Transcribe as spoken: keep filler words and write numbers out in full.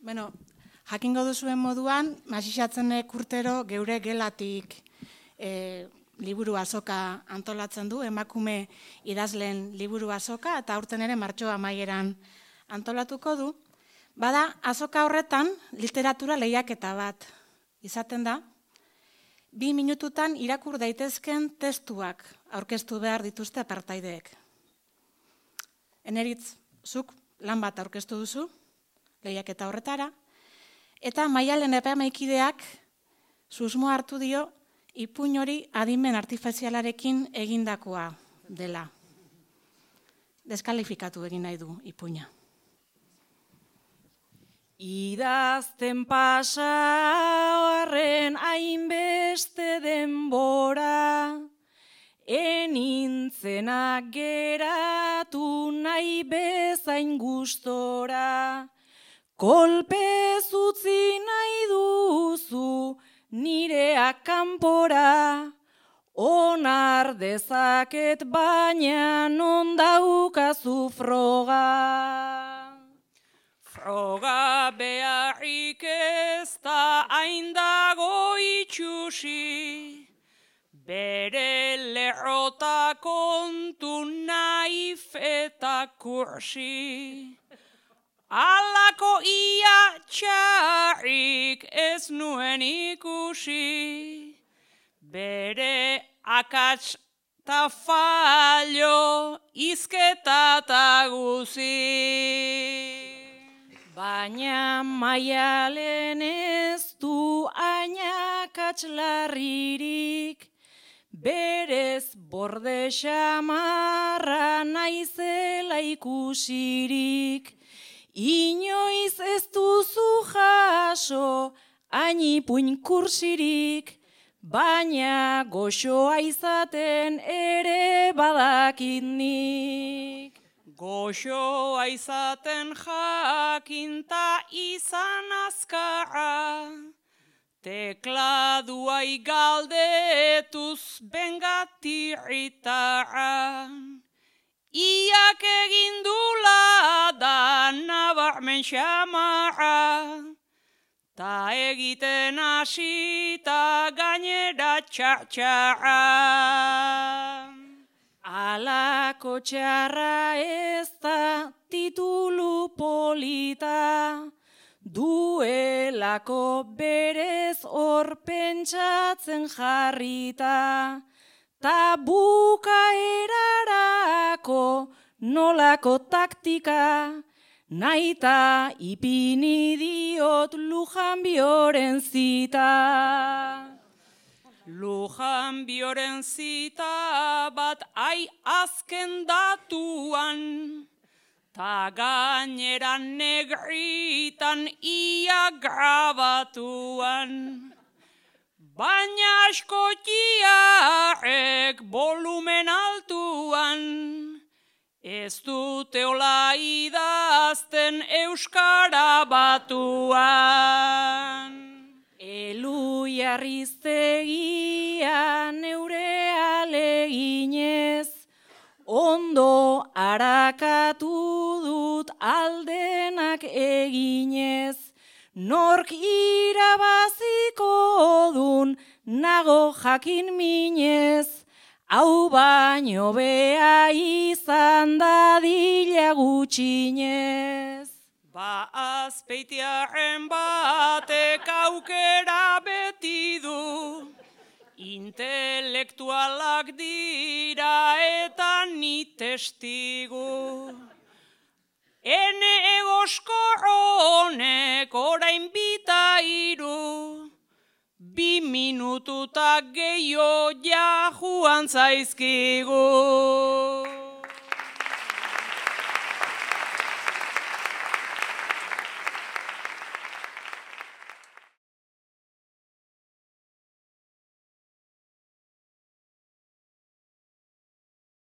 Bueno, jakingo duzuen moduan, Masixatzenek urtero geure gelatik e, liburu azoka antolatzen du, emakume idazleen liburu azoka, eta aurten ere martxoa amaieran antolatuko du. Bada, azoka horretan literatura lehiaketa bat izaten da, bi minututan irakur daitezken testuak aurkeztu behar dituzte apartaideek. Eneritz, zuk lan bat aurkeztu duzu, lehiaketa horretara, eta Maialen epaimahaikoideak susmoa hartu dio ipuin hori adimen artifizialarekin egindakoa dela. Deskalifikatu egin nahi du ipuina. Idazten pasa horren hainbeste denbora, enintzenak geratu nahi bezain gustora, kolpez utzi nahi duzu nireak kanpora, onar dezaket baina non daukazu froga. Froga beharrik ez da hain dago itxusi, bere lerrota kontu naif eta kursi. Alako ia txarrik ez nuen ikusi, bere akats ta fallo izketa ta guzi. Baina Maialen ez du ainakats larririk, berez borde xamarra naizela ikusirik, inoiz ez duzu jaso hainipuin kursirik, baina goxoa izaten ere badakit nik. Goxoa izaten jakinta izan azkarra, tekladua igaldetuz bengatirritarra. Iak egindula da nabarmen xamarra, ta egiten hasita gainera txartxarra. Alako txarra ez da titulu polita, duelako berez hor pentsatzen jarrita, ta bukaerarako nolako taktika, naita ipini diot Lujanbioren zita. Lujanbioren zita bat ai azken datuan, ta gainera negritan ia grabatuan. Baina askotiarek volumen altuan, ez dute ola idazten euskara batuan. Elu jarriztegia neure aleginez, ondo harakatu dut aldenak eginez, nork irabaziko dun nago jakin minez, hau baino bea izan dadila gutxinez. Ba azpeitiarren batek aukera beti du, intelektualak dira eta ni testigu. Ene egoskor honek orain bita iru, bi minututak gehiago ja joan zaizkigu.